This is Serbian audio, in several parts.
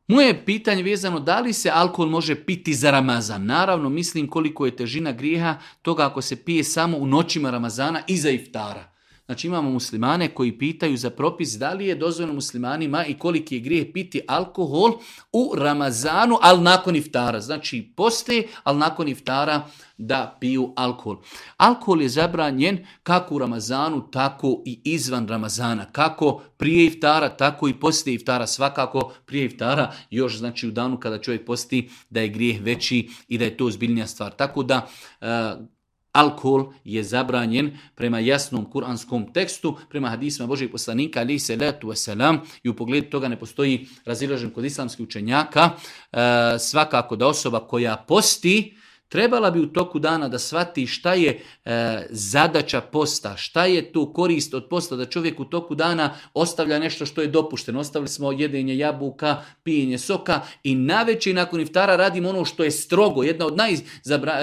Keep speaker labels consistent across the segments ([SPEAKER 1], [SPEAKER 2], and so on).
[SPEAKER 1] Moje pitanje vezano da li se alkohol može piti za Ramazan. Naravno, mislim koliko je težina grijeha toga ako se pije samo u noćima Ramazana iza iftara. Znači imamo muslimane koji pitaju za propis da li je dozvoljeno muslimanima i koliki je grijeh piti alkohol u Ramazanu, ali nakon iftara. Znači poste, ali nakon iftara da piju alkohol. Alkohol je zabranjen kako u Ramazanu, tako i izvan Ramazana. Kako prije iftara, tako i poslije iftara. Svakako prije iftara, još znači u danu kada čovjek posti da je grijeh veći i da je to ozbiljnija stvar. Tako da alkohol je zabranjen prema jasnom kuranskom tekstu, prema hadisima Božijeg poslanika alejhi selatu vesselam, i u pogledu toga ne postoji razilažen kod islamskih učenjaka. Svakako da osoba koja posti trebala bi u toku dana da shvati šta je zadaća posta, šta je tu korist od posta, da čovjek u toku dana ostavlja nešto što je dopušteno. Ostavili smo jedenje jabuka, pijenje soka i navečer nakon iftara radimo ono što je strogo. Jedna od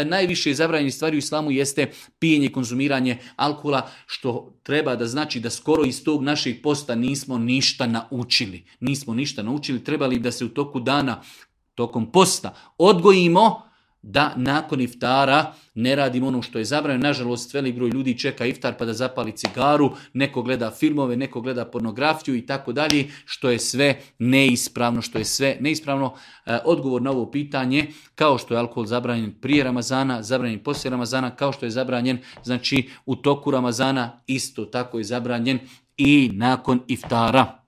[SPEAKER 1] najviše zabranjenih stvari u islamu jeste pijenje i konzumiranje alkohola, što treba da znači da skoro iz tog našeg posta nismo ništa naučili. Nismo ništa naučili, trebali da se u toku dana, tokom posta odgojimo da nakon iftara ne radimo ono što je zabranjeno. Nažalost, velik broj ljudi čeka iftar pa da zapali cigaru, neko gleda filmove, neko gleda pornografiju i tako dalje, što je sve neispravno. Odgovor na ovo pitanje, kao što je alkohol zabranjen prije Ramazana, zabranjen poslije Ramazana, kao što je zabranjen znači u toku Ramazana, isto tako je zabranjen i nakon iftara.